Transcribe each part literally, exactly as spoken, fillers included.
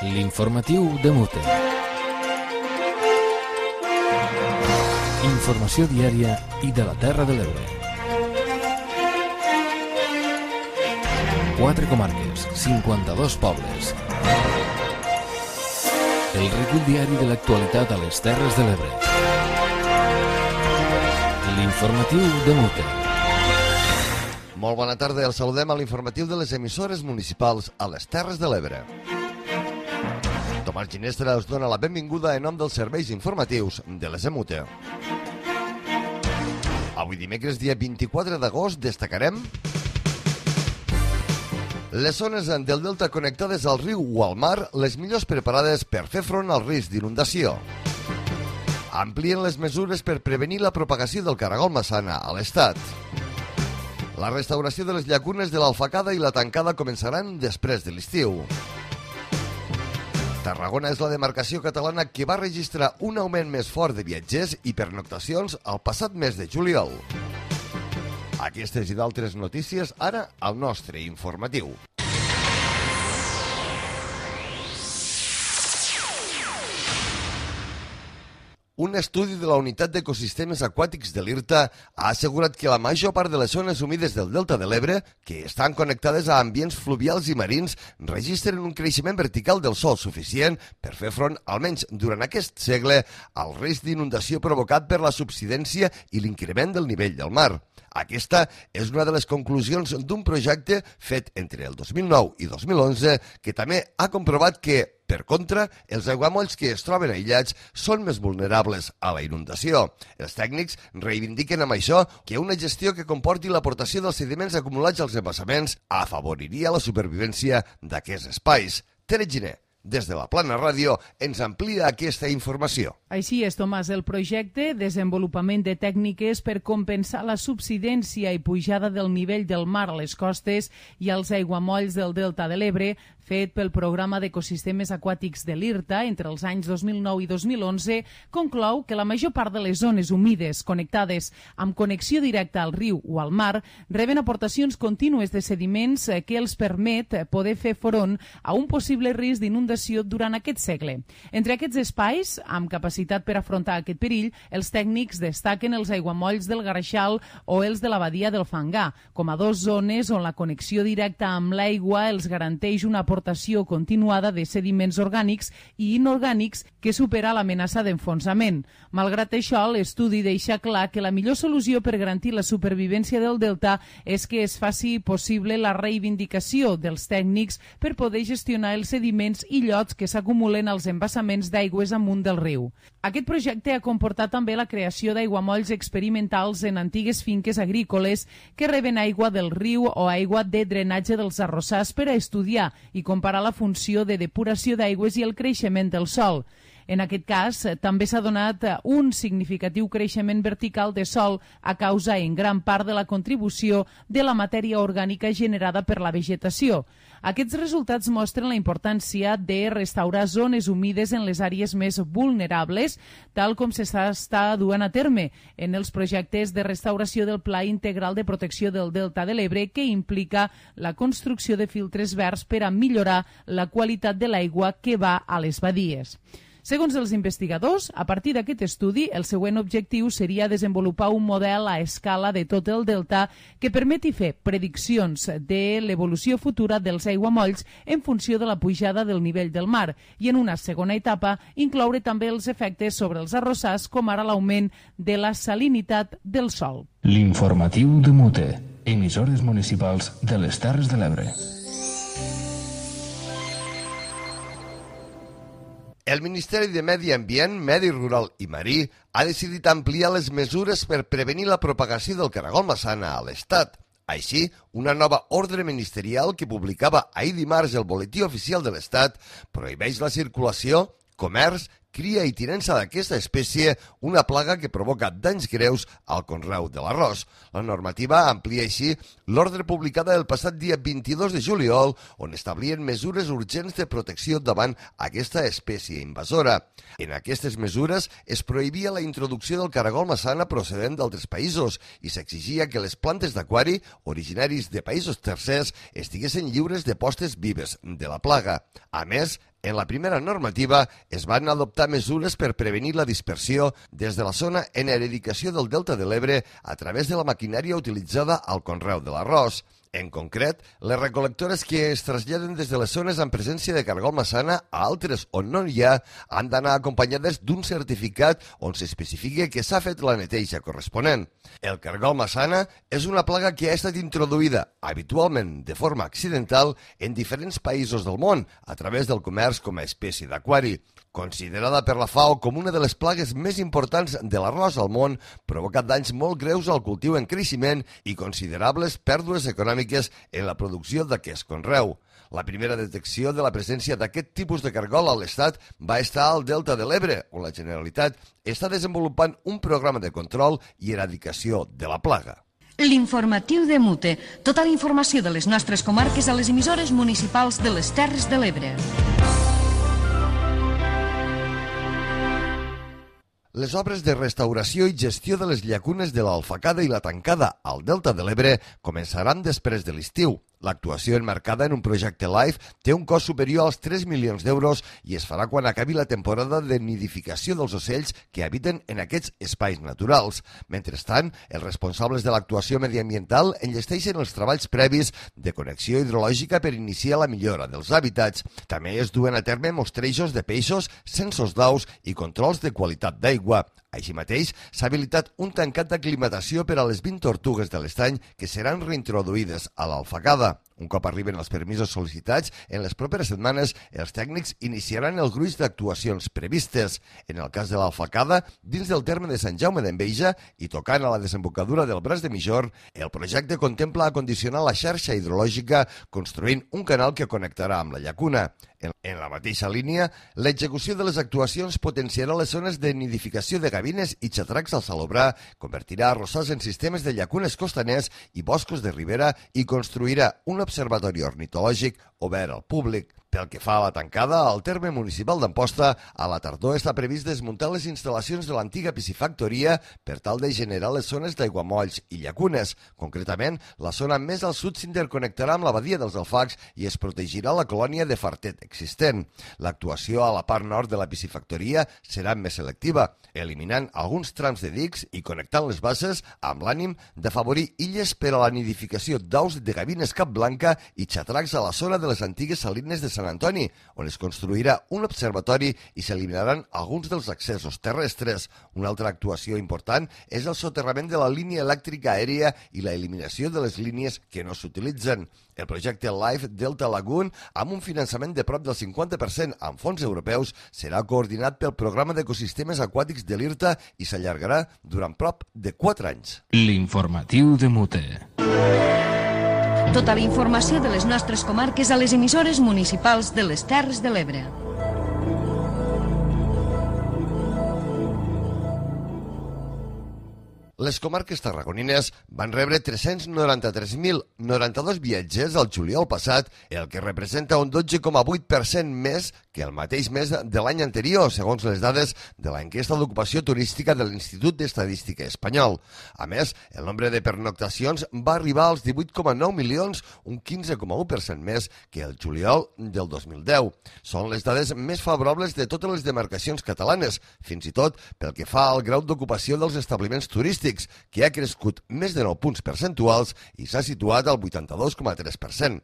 L'informatiu de Mute. Informació diària i de la Terra de l'Ebre. Quatre comarques, cinquanta-dos pobles. El recull diari de l'actualitat a les Terres de l'Ebre. L'informatiu de Mute. Molt bona tarda, els saludem a l'informatiu de les emissores municipals a les Terres de l'Ebre. Tomàs Ginestra us dona la benvinguda en nom dels serveis informatius de les Emute. Avui dimecres, dia vint-i-quatre d'agost, destacarem les zones del delta connectades al riu o al mar, les millors preparades per fer front al risc d'inundació. Amplien les mesures per prevenir la propagació del caragol massana a l'estat. La restauració de les llacunes de l'Alfacada i la Tancada començaran després de l'estiu. Tarragona és la demarcació catalana que va registrar un augment més fort de viatgers i pernoctacions el passat mes de juliol. Aquestes i d'altres notícies ara al nostre informatiu. Un estudi de la Unitat d'Ecosistemes Aquàtics de l'IRTA ha assegurat que la major part de les zones humides del Delta de l'Ebre, que estan connectades a ambients fluvials i marins, registren un creixement vertical del sòl suficient per fer front, almenys durant aquest segle, al risc d'inundació provocat per la subsidència i l'increment del nivell del mar. Aquesta és una de les conclusions d'un projecte fet entre el dos mil nou i dos mil onze que també ha comprovat que, per contra, els aiguamolls que es troben aïllats són més vulnerables a la inundació. Els tècnics reivindiquen amb això que una gestió que comporti l'aportació dels sediments acumulats als embassaments afavoriria la supervivència d'aquests espais. Tere Giner, des de la Plana Ràdio, ens amplia aquesta informació. Així és, Tomàs, el projecte Desenvolupament de tècniques per compensar la subsidència i pujada del nivell del mar a les costes i als aiguamolls del Delta de l'Ebre, fet pel Programa d'Ecosistemes Aquàtics de l'IRTA entre els anys dos mil nou i dos mil onze, conclou que la major part de les zones humides connectades amb connexió directa al riu o al mar reben aportacions contínues de sediments que els permet poder fer front a un possible risc d'inundació durant aquest segle. Entre aquests espais, amb capacitat per afrontar aquest perill, els tècnics destaquen els aiguamolls del Gareixal o els de la Badia del Fangar, com a dos zones on la connexió directa amb l'aigua els garanteix una aportació continuada de sediments orgànics i inorgànics que supera l'amenaça d'enfonsament. Malgrat això, l'estudi deixa clar que la millor solució per garantir la supervivència del delta és que es faci possible la reivindicació dels tècnics per poder gestionar els sediments i llots que s'acumulen als embassaments d'aigües amunt del riu. Aquest projecte ha comportat també la creació d'aiguamolls experimentals en antigues finques agrícoles que reben aigua del riu o aigua de drenatge dels arrossars per a estudiar i comparar la funció de depuració d'aigües i el creixement del sòl. En aquest cas, també s'ha donat un significatiu creixement vertical de sòl a causa, en gran part, de la contribució de la matèria orgànica generada per la vegetació. Aquests resultats mostren la importància de restaurar zones humides en les àrees més vulnerables, tal com s'està duent a terme en els projectes de restauració del Pla Integral de Protecció del Delta de l'Ebre, que implica la construcció de filtres verds per a millorar la qualitat de l'aigua que va a les badies. Segons els investigadors, a partir d'aquest estudi, el següent objectiu seria desenvolupar un model a escala de tot el delta que permeti fer prediccions de l'evolució futura dels aiguamolls en funció de la pujada del nivell del mar i, en una segona etapa, incloure també els efectes sobre els arrossars, com ara l'augment de la salinitat del sòl. L'informatiu de Mute, emissores municipals de les Terres de l'Ebre. El Ministeri de Medi Ambient, Medi Rural i Marí ha decidit ampliar les mesures per prevenir la propagació del caragol massana a l'Estat. Així, una nova ordre ministerial que publicava ahir dimarts el Boletí Oficial de l'Estat prohibeix la circulació, comerç, cria i tinença d'aquesta espècie, una plaga que provoca danys greus al conreu de l'arròs. La normativa amplia així l'ordre publicada el passat dia vint-i-dos de juliol, on establien mesures urgents de protecció davant aquesta espècie invasora. En aquestes mesures es prohibia la introducció del caragol massana procedent d'altres països i s'exigia que les plantes d'aquari, originaris de països tercers, estiguessin lliures de postes vives de la plaga. A més, En la primera normativa es van adoptar mesures per prevenir la dispersió des de la zona en eradicació del Delta de l'Ebre a través de la maquinària utilitzada al conreu de l'arròs. En concret, les recol·lectores que es traslladen des de les zones amb presència de cargol massana a altres on no hi ha han d'anar acompanyades d'un certificat on s'especifiqui que s'ha fet la neteja corresponent. El cargol massana és una plaga que ha estat introduïda, habitualment de forma accidental, en diferents països del món a través del comerç com a espècie d'aquari. Considerada per la FAO com una de les plagues més importants de l'arròs al món, provoca danys molt greus al cultiu en creixement i considerables pèrdues econòmiques en la producció d'aquest conreu. La primera detecció de la presència d'aquest tipus de cargol a l'Estat va estar al Delta de l'Ebre, on la Generalitat està desenvolupant un programa de control i eradicació de la plaga. L'informatiu de Mute. Tota la informació de les nostres comarques a les emissores municipals de les Terres de l'Ebre. Les obres de restauració i gestió de les llacunes de l'Alfacada i la Tancada al Delta de l'Ebre començaran després de l'estiu. L'actuació enmarcada en un projecte LIFE té un cost superior als tres milions d'euros i es farà quan acabi la temporada de nidificació dels ocells que habiten en aquests espais naturals. Mentrestant, els responsables de l'actuació mediambiental enllesteixen els treballs previs de connexió hidrològica per iniciar la millora dels hàbitats. També es duen a terme mostrejos de peixos, censos d'aus i controls de qualitat d'aigua. Així mateix, s'ha habilitat un tancat d'aclimatació per a les vint tortugues de l'estany que seran reintroduïdes a l'Alfacada. Un cop arriben els permisos sol·licitats, en les properes setmanes els tècnics iniciaran el gruix d'actuacions previstes. En el cas de l'Alfacada, dins del terme de Sant Jaume d'Enveja i tocant a la desembocadura del Braç de Mijor, el projecte contempla acondicionar la xarxa hidrològica construint un canal que connectarà amb la llacuna. En la mateixa línia, l'execució de les actuacions potenciarà les zones de nidificació de gavines i xatracs al salobrà, convertirà arrossars en sistemes de llacunes costaners i boscos de ribera i construirà un observatori ornitològic obert al públic. Pel que fa a la Tancada, al terme municipal d'Amposta, a la tardor està previst desmuntar les instal·lacions de l'antiga piscifactoria per tal de generar les zones d'aiguamolls i llacunes. Concretament, la zona més al sud s'interconnectarà amb la badia dels Alfacs i es protegirà la colònia de fartet existent. L'actuació a la part nord de la piscifactoria serà més selectiva, eliminant alguns trams de dics i connectant les bases amb l'ànim d'afavorir illes per a la nidificació d'aus de gavines capblanca i xatracs a la zona de les antigues salines de Sant Antoni, on es construirà un observatori i s'eliminaran alguns dels accessos terrestres. Una altra actuació important és el soterrament de la línia elèctrica aèria i la eliminació de les línies que no s'utilitzen. El projecte LIFE Delta Lagoon, amb un finançament de prop del cinquanta per cent amb fons europeus, serà coordinat pel Programa d'Ecosistemes Aquàtics de l'IRTA i s'allargarà durant prop de quatre anys. L'informatiu de Mute. Tota la informació de les nostres comarques a les emissores municipals de les Terres de l'Ebre. Les comarques tarragonines van rebre tres-cents noranta-tres mil noranta-dos viatgers el juliol passat, el que representa un dotze coma vuit per cent més que el mateix mes de l'any anterior, segons les dades de l'enquesta d'ocupació turística de l'Institut d'Estadística Espanyol. A més, el nombre de pernoctacions va arribar als divuit coma nou milions, un quinze coma u per cent més que el juliol del dos mil deu. Són les dades més favorables de totes les demarcacions catalanes, fins i tot pel que fa al grau d'ocupació dels establiments turístics, que ha crescut més de nou punts percentuals i s'ha situat al vuitanta-dos coma tres per cent.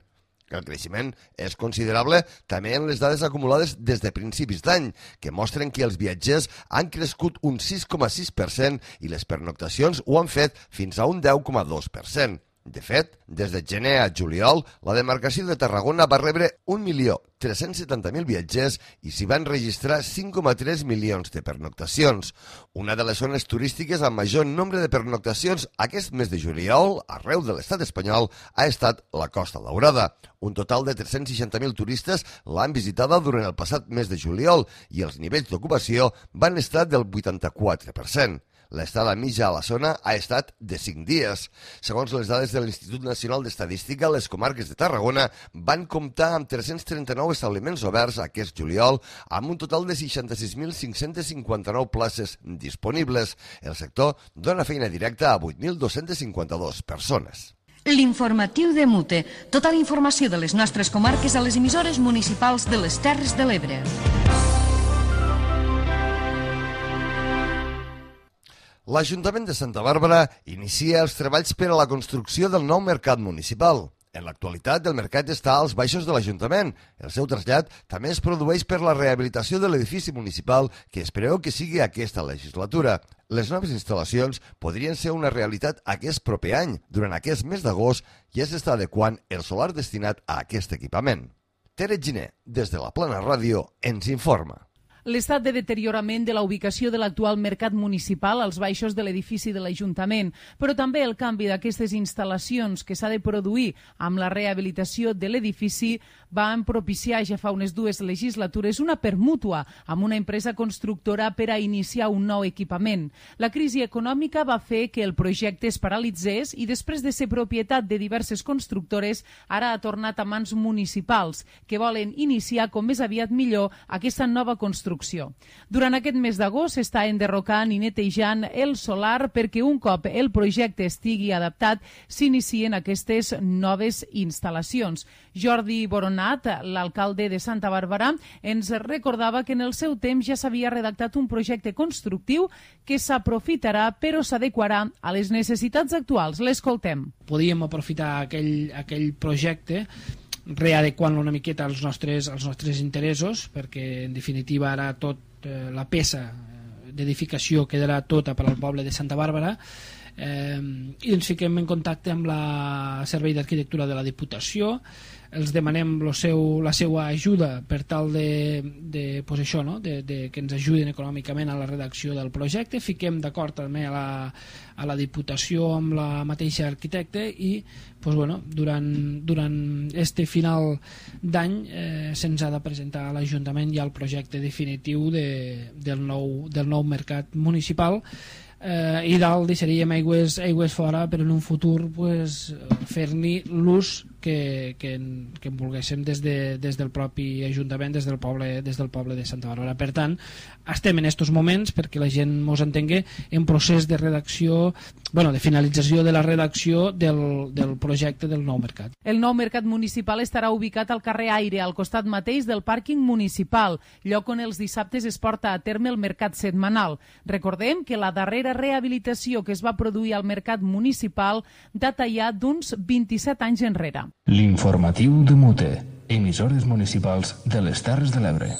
El creixement és considerable també en les dades acumulades des de principis d'any, que mostren que els viatgers han crescut un sis coma sis per cent i les pernoctacions ho han fet fins a un deu coma dos per cent. De fet, des de gener a juliol, la demarcació de Tarragona va rebre un milió tres-cents setanta mil viatgers i s'hi van registrar cinc coma tres milions de pernoctacions. Una de les zones turístiques amb major nombre de pernoctacions aquest mes de juliol, arreu de l'estat espanyol, ha estat la Costa Daurada. Un total de tres-cents seixanta mil turistes l'han visitada durant el passat mes de juliol i els nivells d'ocupació van estar del vuitanta-quatre per cent. L'estada mitja a la zona ha estat de cinc dies. Segons les dades de l'Institut Nacional d'Estadística, les comarques de Tarragona van comptar amb tres-cents trenta-nou establiments oberts aquest juliol, amb un total de seixanta-sis mil cinc-cents cinquanta-nou places disponibles. El sector dona feina directa a vuit mil dos-cents cinquanta-dos persones. L'informatiu de Mute. Tota la informació de les nostres comarques a les emissores municipals de les Terres de l'Ebre. L'Ajuntament de Santa Bàrbara inicia els treballs per a la construcció del nou mercat municipal. En l'actualitat, el mercat està als baixos de l'Ajuntament. El seu trasllat també es produeix per la rehabilitació de l'edifici municipal que es preveu que sigui aquesta legislatura. Les noves instal·lacions podrien ser una realitat aquest proper any. Durant aquest mes d'agost ja s'està adequant el solar destinat a aquest equipament. Tere Giner, des de la Plana Ràdio, ens informa. L'estat de deteriorament de la ubicació de l'actual mercat municipal als baixos de l'edifici de l'Ajuntament, però també el canvi d'aquestes instal·lacions que s'ha de produir amb la rehabilitació de l'edifici van propiciar ja fa unes dues legislatures una permútua amb una empresa constructora per a iniciar un nou equipament. La crisi econòmica va fer que el projecte es paralitzés i després de ser propietat de diverses constructores ara ha tornat a mans municipals que volen iniciar com més aviat millor aquesta nova construcció. Durant aquest mes d'agost s'està enderrocant i netejant el solar perquè un cop el projecte estigui adaptat s'inicien aquestes noves instal·lacions. Jordi Boronat, l'alcalde de Santa Bàrbara, ens recordava que en el seu temps ja s'havia redactat un projecte constructiu que s'aprofitarà però s'adequarà a les necessitats actuals. L'escoltem. Podíem aprofitar aquell, aquell projecte readequant-lo una miqueta als nostres, als nostres interessos, perquè en definitiva ara tot eh, la peça d'edificació quedarà tota per al poble de Santa Bàrbara, eh, i ens fiquem en contacte amb la Servei d'Arquitectura de la Diputació, els demanem lo seu, la seva ajuda per tal de, de, pues això, no? de, de que ens ajuden econòmicament a la redacció del projecte, fiquem d'acord també a la, a la Diputació amb la mateixa arquitecte i pues bueno, durant, durant este final d'any eh, se'ns ha de presentar a l'Ajuntament ja el projecte definitiu de, del, nou, del nou mercat municipal. Eh, i dalt deixaríem aigües, aigües fora, però en un futur pues, fer-li l'ús que, que, que en volguéssim des, de, des del propi Ajuntament, des del, poble, des del poble de Santa Bàrbara. Per tant, estem en aquests moments, perquè la gent mos entengui, en procés de redacció, bueno, de finalització de la redacció del, del projecte del nou mercat. El nou mercat municipal estarà ubicat al carrer Aire, al costat mateix del pàrquing municipal, lloc on els dissabtes es porta a terme el mercat setmanal. Recordem que la darrera rehabilitació que es va produir al mercat municipal data ja d'uns vint-i-set anys enrere. L'informatiu de Mute, emissores municipals de les Terres de l'Ebre.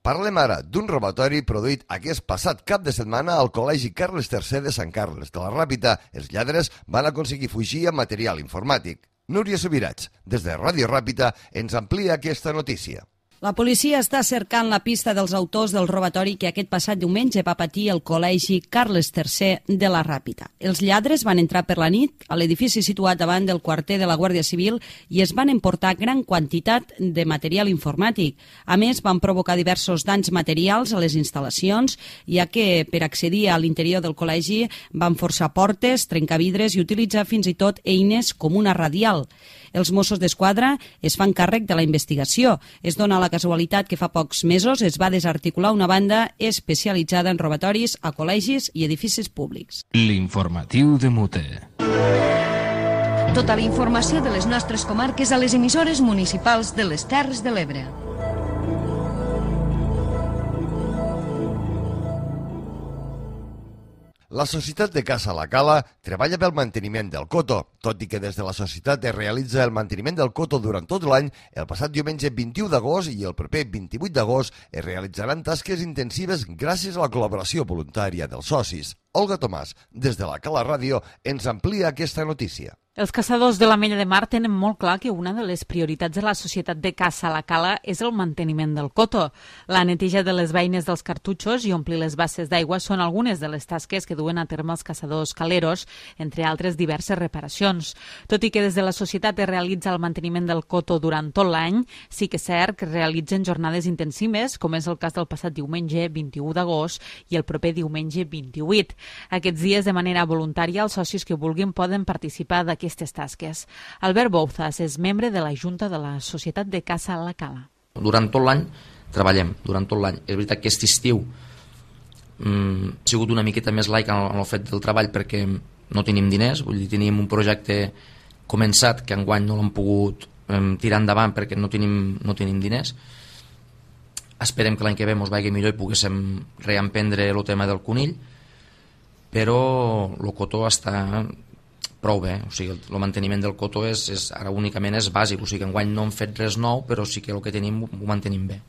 Parlem ara d'un robatori produït aquest passat cap de setmana al Col·legi Carles tercer de Sant Carles de la Ràpita. Els lladres van aconseguir fugir amb material informàtic. Núria Subirats, des de Ràdio Ràpita, ens amplia aquesta notícia. La policia està cercant la pista dels autors del robatori que aquest passat diumenge va patir el Col·legi Carles tercer de la Ràpita. Els lladres van entrar per la nit a l'edifici situat davant del quarter de la Guàrdia Civil i es van emportar gran quantitat de material informàtic. A més, van provocar diversos danys materials a les instal·lacions, ja que per accedir a l'interior del col·legi van forçar portes, trencar vidres i utilitzar fins i tot eines com una radial. Els Mossos d'Esquadra es fan càrrec de la investigació. Es dona la casualitat que fa pocs mesos es va desarticular una banda especialitzada en robatoris a col·legis i edificis públics. L'informatiu de Mute. Tota la informació de les nostres comarques a les emissores municipals de les Terres de l'Ebre. La Societat de Caça La Cala treballa pel manteniment del coto. Tot i que des de la societat es realitza el manteniment del coto durant tot l'any, el passat diumenge vint-i-u d'agost i el proper vint-i-vuit d'agost es realitzaran tasques intensives gràcies a la col·laboració voluntària dels socis. Olga Tomàs, des de la Cala Ràdio, ens amplia aquesta notícia. Els caçadors de l'Ametlla de Mar tenen molt clar que una de les prioritats de la Societat de Caça La Cala és el manteniment del coto. La neteja de les beines dels cartutxos i omplir les basses d'aigua són algunes de les tasques que duen a terme els caçadors caleros, entre altres diverses reparacions. Tot i que des de la Societat es realitza el manteniment del coto durant tot l'any, sí que és cert que es realitzen jornades intensives, com és el cas del passat diumenge vint-i-u d'agost i el proper diumenge vint-i-vuit. Aquests dies, de manera voluntària, els socis que vulguin poden participar d'aquest aquestes tasques. Albert Bouzas és membre de la Junta de la Societat de Caça La Cala. Durant tot l'any treballem, durant tot l'any. És veritat que aquest estiu mm, ha sigut una miqueta més laic en el, en el fet del treball perquè no tenim diners, vull dir, teníem un projecte començat que enguany no l'hem pogut eh, tirar endavant perquè no tenim, no tenim diners. Esperem que l'any que ve ens vagi millor i poguéssim reemprendre el tema del conill, però el cotó està prou bé, o sigui, el manteniment del cotó és, és, ara únicament és bàsic, o sigui, enguany no hem fet res nou, però sí que el que tenim ho mantenim bé.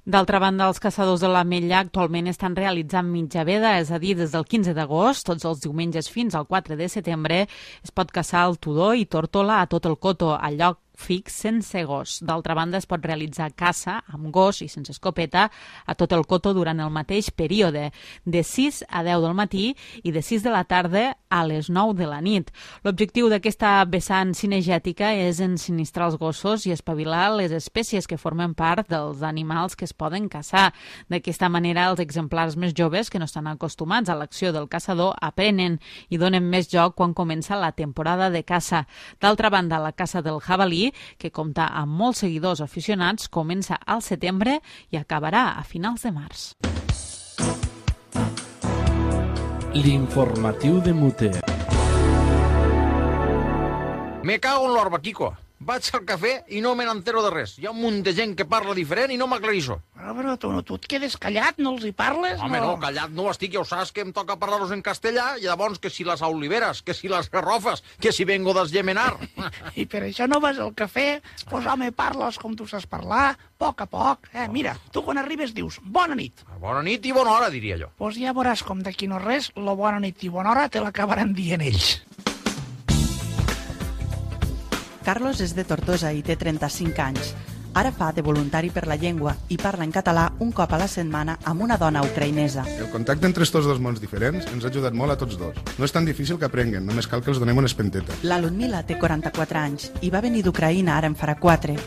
D'altra banda, els caçadors de l'Ametlla actualment estan realitzant mitja veda, és a dir, des del quinze d'agost, tots els diumenges fins al quatre de setembre, es pot caçar el tudó i tórtola a tot el coto, al lloc fix sense gos. D'altra banda, es pot realitzar caça amb gos i sense escopeta a tot el coto durant el mateix període, de sis a deu del matí i de sis de la tarda a les nou de la nit. L'objectiu d'aquesta vessant cinegètica és ensinistrar els gossos i espavilar les espècies que formen part dels animals que es poden caçar. D'aquesta manera, els exemplars més joves, que no estan acostumats a l'acció del caçador, aprenen i donen més joc quan comença la temporada de caça. D'altra banda, la caça del jabalí, que compta amb molts seguidors aficionats, comença al setembre i acabarà a finals de març. L'informatiu de Mute. Me cago en l'orba, Kiko. Vaig al cafè i no me n'entero de res. Hi ha un munt de gent que parla diferent i no m'aclarisso. Però, però tu, no, tu et quedes callat, no els hi parles? Home, no, no callat no estic, ja ho saps que em toca parlar-los en castellà, i llavors que si les oliveres, que si les garrofes, que si vengo d'esgemenar. I per això no vas al cafè? Pues home, parles com tu saps parlar, a poc a poc. Eh, mira, tu quan arribes dius bona nit. Bona nit i bona hora, diria jo. Pues ja veuràs com d'aquí no res, la bona nit i bona hora te l'acabaran dient ells. Carlos és de Tortosa i té trenta-cinc anys. Ara fa de voluntari per la llengua i parla en català un cop a la setmana amb una dona ucraïnesa. El contacte entre estos dos mons diferents ens ha ajudat molt a tots dos. No és tan difícil que aprenguen, només cal que els donem una espenteta. La Ludmila té quaranta-quatre anys i va venir d'Ucraïna ara en farà quatre.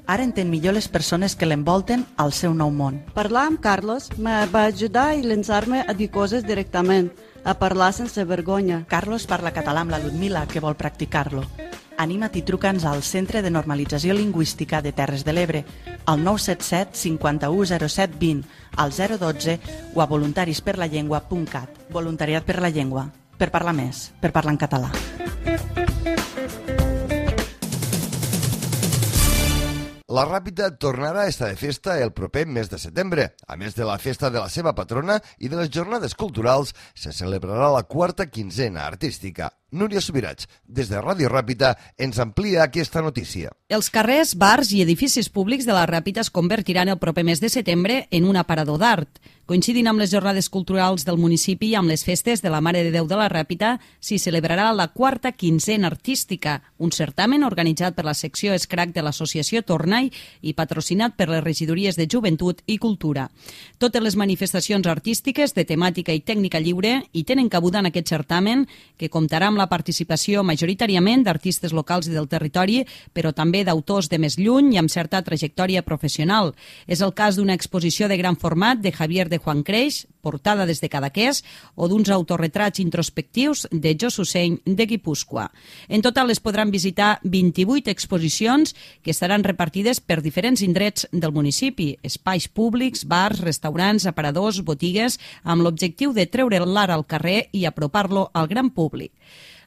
Ara entén millor les persones que l'envolten al seu nou món. Parlar amb Carlos me va ajudar a llançar-me a dir coses directament, a parlar sense vergonya. Carlos parla català amb la Ludmila, que vol practicar-lo. Anima't i truca'ns al Centre de Normalització Lingüística de Terres de l'Ebre, al nou set set cinquanta-u zero set vint, al zero dotze o a voluntarisperlallengua punt cat. Voluntariat per la llengua, per parlar més, per parlar en català. La Ràpita tornarà a estar de festa el proper mes de setembre. A més de la festa de la seva patrona i de les jornades culturals, se celebrarà la quarta quinzena artística. Núria Subirats, des de Ràdio Ràpita, ens amplia aquesta notícia. Els carrers, bars i edificis públics de la Ràpita es convertiran el proper mes de setembre en un aparador d'art. Coincidint amb les jornades culturals del municipi i amb les festes de la Mare de Déu de la Ràpita, s'hi celebrarà la quarta quinzena artística, un certamen organitzat per la secció Escrac de l'associació Tornai i patrocinat per les regidories de Joventut i Cultura. Totes les manifestacions artístiques de temàtica i tècnica lliure hi tenen cabuda en aquest certamen, que comptarà amb la participació majoritàriament d'artistes locals i del territori, però també d'autors de més lluny i amb certa trajectòria professional. És el cas d'una exposició de gran format de Javier de Juan Creix, portada des de Cadaqués, o d'uns autorretrats introspectius de Jos Usseny de Guipúscoa. En total es podran visitar vint-i-vuit exposicions que estaran repartides per diferents indrets del municipi, espais públics, bars, restaurants, aparadors, botigues, amb l'objectiu de treure l'art al carrer i apropar-lo al gran públic.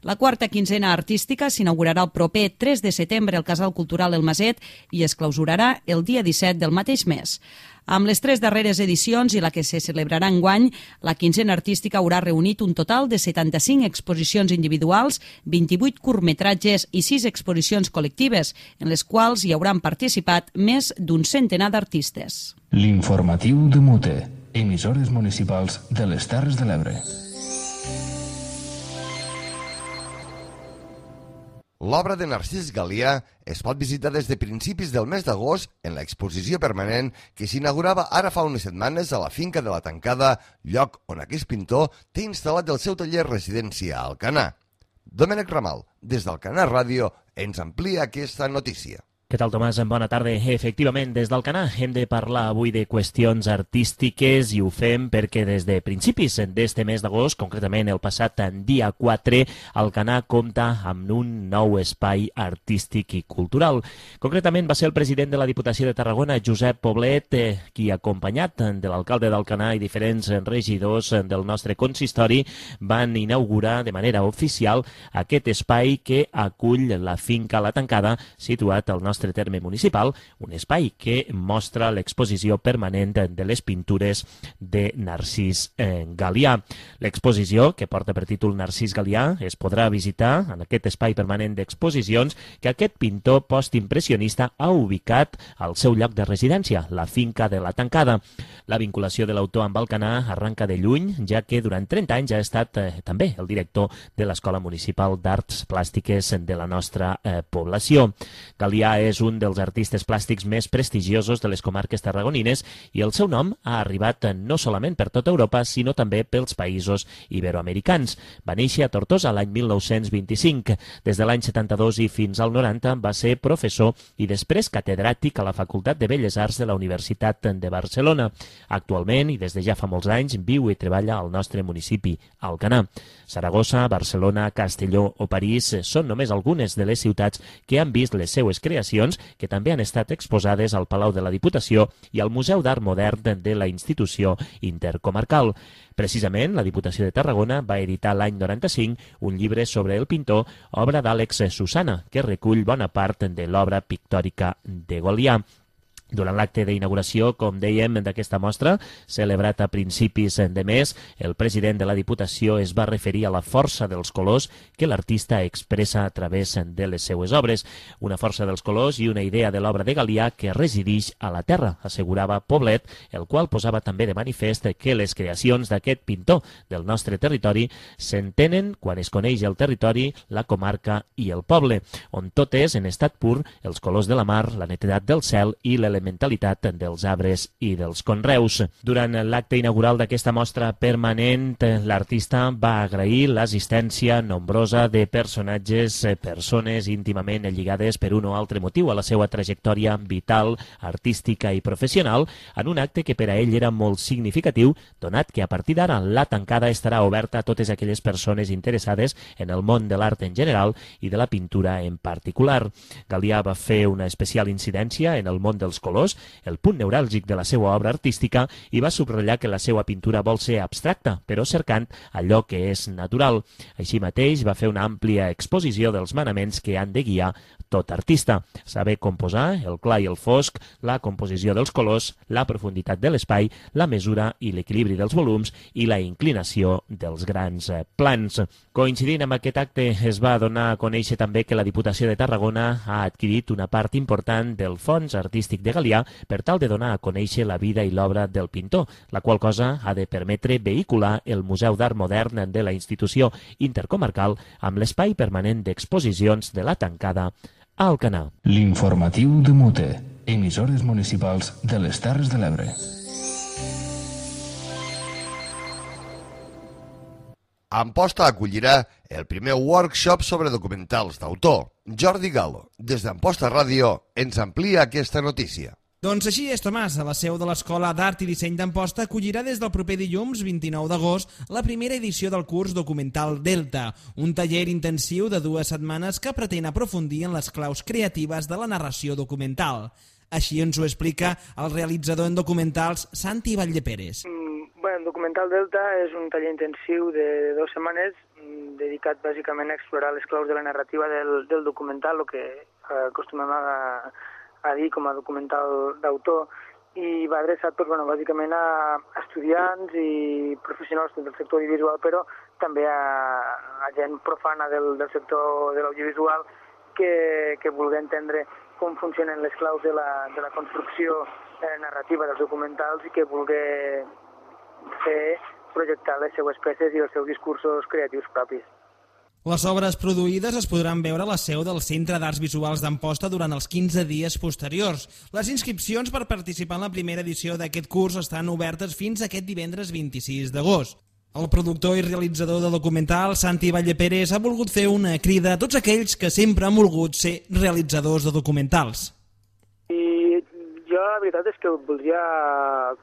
La quarta quinzena artística s'inaugurarà el proper tres de setembre al Casal Cultural El Maset i es clausurarà el dia disset del mateix mes. Amb les tres darreres edicions i la que se celebrarà enguany, la quinzena artística haurà reunit un total de setanta-cinc exposicions individuals, vint-i-vuit curtmetratges i sis exposicions col·lectives, en les quals hi hauran participat més d'un centenar d'artistes. L'informatiu de Mute, emissores municipals de les Terres de l'Ebre. L'obra de Narcís Galià es pot visitar des de principis del mes d'agost en l'exposició permanent que s'inaugurava ara fa unes setmanes a la finca de la Tancada, lloc on aquest pintor té instal·lat el seu taller residència a Alcanar. Domènec Ramal, des d'Alcanar Ràdio, ens amplia aquesta notícia. Què tal, Tomàs? Bona tarda. Efectivament, des d'Alcanar hem de parlar avui de qüestions artístiques i ho fem perquè des de principis d'este mes d'agost, concretament el passat dia quatre, Alcanar compta amb un nou espai artístic i cultural. Concretament va ser el president de la Diputació de Tarragona, Josep Poblet, qui, acompanyat de l'alcalde d'Alcanar i diferents regidors del nostre consistori, van inaugurar de manera oficial aquest espai que acull la finca La Tancada, situat al nostre terme municipal, un espai que mostra l'exposició permanent de les pintures de Narcís Galià. L'exposició, que porta per títol Narcís Galià, es podrà visitar en aquest espai permanent d'exposicions que aquest pintor postimpressionista ha ubicat al seu lloc de residència, la finca de La Tancada. La vinculació de l'autor amb Alcanar arranca de lluny, ja que durant trenta anys ha estat eh, també el director de l'Escola Municipal d'Arts Plàstiques de la nostra eh, població. Galià és un dels artistes plàstics més prestigiosos de les comarques tarragonines i el seu nom ha arribat no solament per tota Europa, sinó també pels països iberoamericans. Va néixer a Tortosa l'any mil nou-cents vint-i-cinc. Des de l'any setanta-dos i fins al noranta va ser professor i després catedràtic a la Facultat de Belles Arts de la Universitat de Barcelona. Actualment, i des de ja fa molts anys, viu i treballa al nostre municipi, Alcanar. Saragossa, Barcelona, Castelló o París són només algunes de les ciutats que han vist les seues creacions, que també han estat exposades al Palau de la Diputació i al Museu d'Art Modern de la institució intercomarcal. Precisament, la Diputació de Tarragona va editar l'any noranta-cinc un llibre sobre el pintor, obra d'Àlex Susana, que recull bona part de l'obra pictòrica de Galià. Durant l'acte d'inauguració, com dèiem, d'aquesta mostra, celebrat a principis de mes, el president de la Diputació es va referir a la força dels colors que l'artista expressa a través de les seues obres. Una força dels colors i una idea de l'obra de Galià que resideix a la terra, assegurava Poblet, el qual posava també de manifest que les creacions d'aquest pintor del nostre territori s'entenen quan es coneix el territori, la comarca i el poble, on tot és en estat pur, els colors de la mar, la netedat del cel i l'element mentalitat dels arbres i dels conreus. Durant l'acte inaugural d'aquesta mostra permanent, l'artista va agrair l'assistència nombrosa de personatges, persones íntimament lligades per un o altre motiu a la seva trajectòria vital, artística i professional, en un acte que per a ell era molt significatiu, donat que a partir d'ara La Tancada estarà oberta a totes aquelles persones interessades en el món de l'art en general i de la pintura en particular. Galià va fer una especial incidència en el món dels colors, el punt neuràlgic de la seva obra artística, i va subratllar que la seva pintura vol ser abstracta, però cercant allò que és natural. Així mateix va fer una àmplia exposició dels manaments que han de guiar tot artista: saber composar, el clar i el fosc, la composició dels colors, la profunditat de l'espai, la mesura i l'equilibri dels volums i la inclinació dels grans plans. Coincidint amb aquest acte, es va donar a conèixer també que la Diputació de Tarragona ha adquirit una part important del fons artístic de Galià per tal de donar a conèixer la vida i l'obra del pintor, la qual cosa ha de permetre vehicular el Museu d'Art Modern de la institució intercomarcal amb l'espai permanent d'exposicions de La Tancada a Alcanar. L'informatiu de Mute, emissores municipals de les Terres de l'Ebre. Amposta acollirà el primer workshop sobre documentals d'autor. Jordi Galo, des d'Amposta Ràdio, ens amplia aquesta notícia. Doncs així és, Tomàs. A la seu de l'Escola d'Art i Disseny d'Amposta acollirà des del proper dilluns vint-i-nou d'agost la primera edició del curs Documental Delta, un taller intensiu de dues setmanes que pretén aprofundir en les claus creatives de la narració documental. Així ens ho explica el realitzador en documentals Santi Valldeperes. Mm, bueno, Documental Delta és un taller intensiu de dues setmanes mm, dedicat bàsicament a explorar les claus de la narrativa del, del documental, el que eh, acostumem a a dir com a documental d'autor, i va adreçat pues, bueno, bàsicament a estudiants i professionals del sector audiovisual, però també a, a gent profana del, del sector de l'audiovisual que, que vulgui entendre com funcionen les claus de la, de la construcció eh, narrativa dels documentals i que vulgui fer projectar les seues peces i els seus discursos creatius propis. Les obres produïdes es podran veure a la seu del Centre d'Arts Visuals d'Amposta durant els quinze dies posteriors. Les inscripcions per participar en la primera edició d'aquest curs estan obertes fins aquest divendres vint-i-sis d'agost. El productor i realitzador de documental, Santi Valldeperes, ha volgut fer una crida a tots aquells que sempre han volgut ser realitzadors de documentals. jo la veritat és que voldria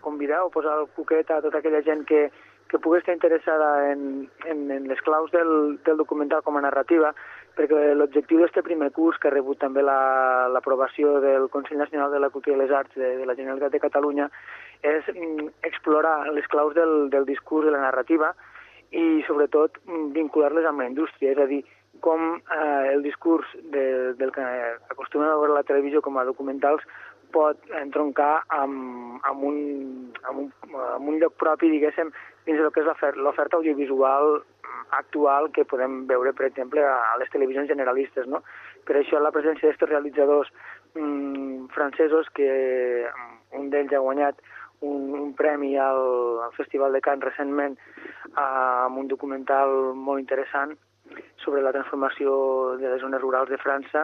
convidar o posar el cuquet a tota aquella gent que, que pugui estar interessada en, en, en les claus del, del documental com a narrativa, perquè l'objectiu d'aquest primer curs, que ha rebut també l'aprovació la, del Consell Nacional de la Cultura i les Arts de, de la Generalitat de Catalunya, és mm, explorar les claus del, del discurs de la narrativa i, sobretot, vincular-les amb la indústria, és a dir, com eh, el discurs de, del que acostumem a veure a la televisió com a documentals pot entroncar amb, amb, un, amb, un, amb un lloc propi, diguéssim, dins del que és l'oferta audiovisual actual que podem veure, per exemple, a les televisions generalistes, no? Per això la presència d'aquests realitzadors mmm, francesos, que un d'ells ha guanyat un, un premi al, al Festival de Cannes recentment eh, amb un documental molt interessant sobre la transformació de les zones rurals de França,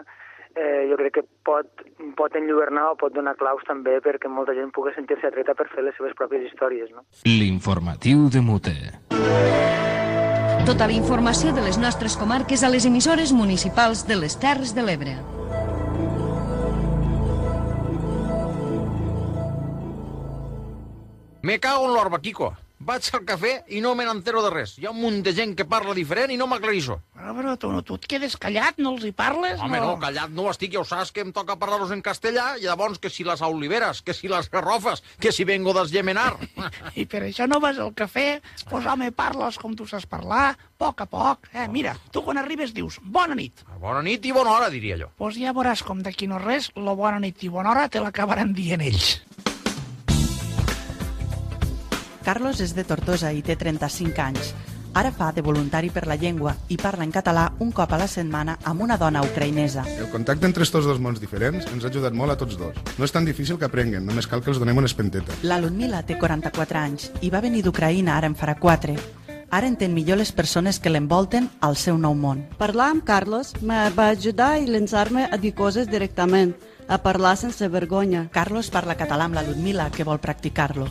eh, jo crec que pot, pot enlluernar o pot donar claus també perquè molta gent pugui sentir-se atreta per fer les seves pròpies històries, no? L'informatiu de Mute. Tota la informació de les nostres comarques a les emissores municipals de les Terres de l'Ebre. Me cago en l'orba, Quico. Vaig al cafè i no me n'entero de res. Hi ha un munt de gent que parla diferent i no m'aclarissó. Però, però tu, no, tu et quedes callat, no els hi parles? Home, no, no callat no estic, ja ho saps que em toca parlar-los en castellà, i llavors que si les oliveres, que si les garrofes, que si vengo d'Esgemenar. I per això no vas al cafè? Pues home, parles com tu saps parlar, a poc a poc. Eh, mira, tu quan arribes dius, bona nit. Bona nit i bona hora, diria jo. Pues ja veuràs com d'aquí no res, lo bona nit i bona hora te l'acabaran dient ells. Carlos és de Tortosa i té trenta-cinc anys. Ara fa de voluntari per la llengua i parla en català un cop a la setmana amb una dona ucraïnesa. El contacte entre estos dos mons diferents ens ha ajudat molt a tots dos. No és tan difícil que aprenguen, només cal que els donem una espenteta. La Ludmila té quaranta-quatre anys i va venir d'Ucraïna ara en farà quatre. Ara entén millor les persones que l'envolten al seu nou món. Parlar amb Carlos me va ajudar a llançar-me a dir coses directament, a parlar sense vergonya. Carlos parla català amb la Ludmila, que vol practicar-lo.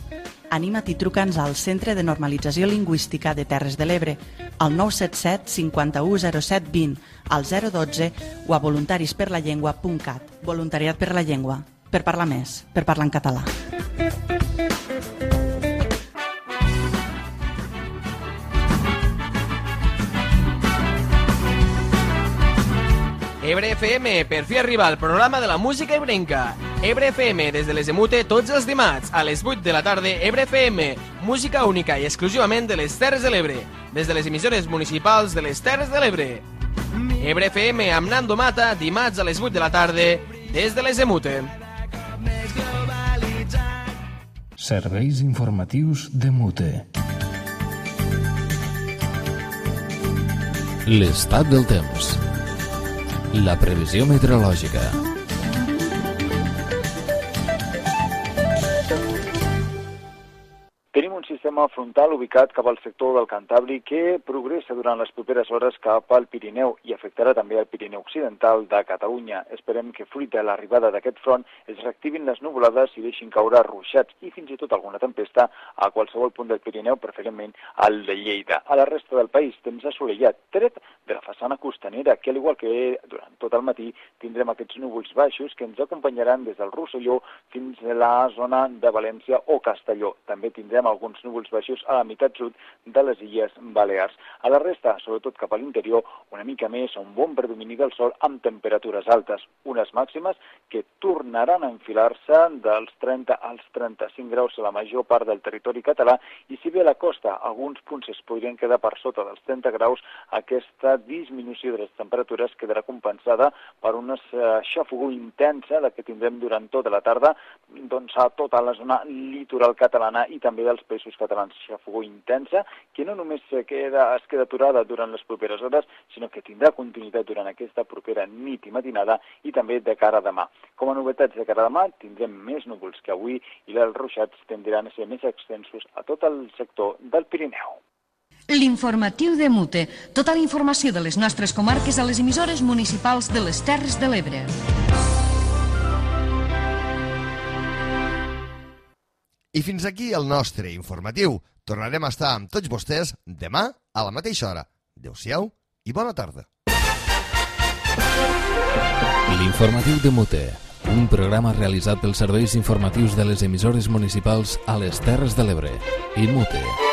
Anima't i truca'ns al Centre de Normalització Lingüística de Terres de l'Ebre, al nou set set cinquanta-u zero set vint, al zero dotze o a voluntarisperlallengua punt cat. Voluntariat per la llengua. Per parlar més, per parlar en català. Ebre F M, per fi arriba el programa de la música ebrenca. Ebre F M, des de les de Mute, tots els dimarts, a les vuit de la tarda, Ebre F M, música única i exclusivament de les Terres de l'Ebre, des de les emissores municipals de les Terres de l'Ebre. Ebre F M amb Nando Mata, dimarts a les vuit de la tarda, des de les de Mute. Serveis informatius de Mute. L'estat del temps. La previsió meteorològica. Tenim un sistema frontal ubicat cap al sector del Cantàbric que progressa durant les properes hores cap al Pirineu i afectarà també el Pirineu Occidental de Catalunya. Esperem que, fruit de l'arribada d'aquest front, es reactivin les nuvolades i deixin caure ruixats i fins i tot alguna tempesta a qualsevol punt del Pirineu, preferentment al de Lleida. A la resta del país, temps assolellat, tret de la façana costanera, que al igual que durant tot el matí tindrem aquests núvols baixos que ens acompanyaran des del Rosselló fins a la zona de València o Castelló. També tindrem alguns núvols baixos a la meitat sud de les Illes Balears. A la resta, sobretot cap a l'interior, una mica més, un bon predomini del sol amb temperatures altes, unes màximes que tornaran a enfilar-se dels trenta als trenta-cinc graus a la major part del territori català i si bé a la costa alguns punts es podrien quedar per sota dels trenta graus, aquesta disminució de les temperatures quedarà compensada per una xafogor intensa la que tindrem durant tota la tarda doncs, a tota la zona litoral catalana i també dels països catalans. Xafogor intensa que no només es queda, es queda aturada durant les properes hores, sinó que tindrà continuïtat durant aquesta propera nit i matinada i també de cara a demà. Com a novetats de cara a demà, tindrem més núvols que avui i els ruixats tendran a ser més extensos a tot el sector del Pirineu. L'informatiu de Mute. Tota la informació de les nostres comarques a les emissores municipals de les Terres de l'Ebre. I fins aquí el nostre informatiu. Tornarem a estar amb tots vostès demà a la mateixa hora. Adéu-siau i bona tarda. L'informatiu de Mute, un programa realitzat pels serveis informatius de les emissores municipals a les Terres de l'Ebre. I Mute.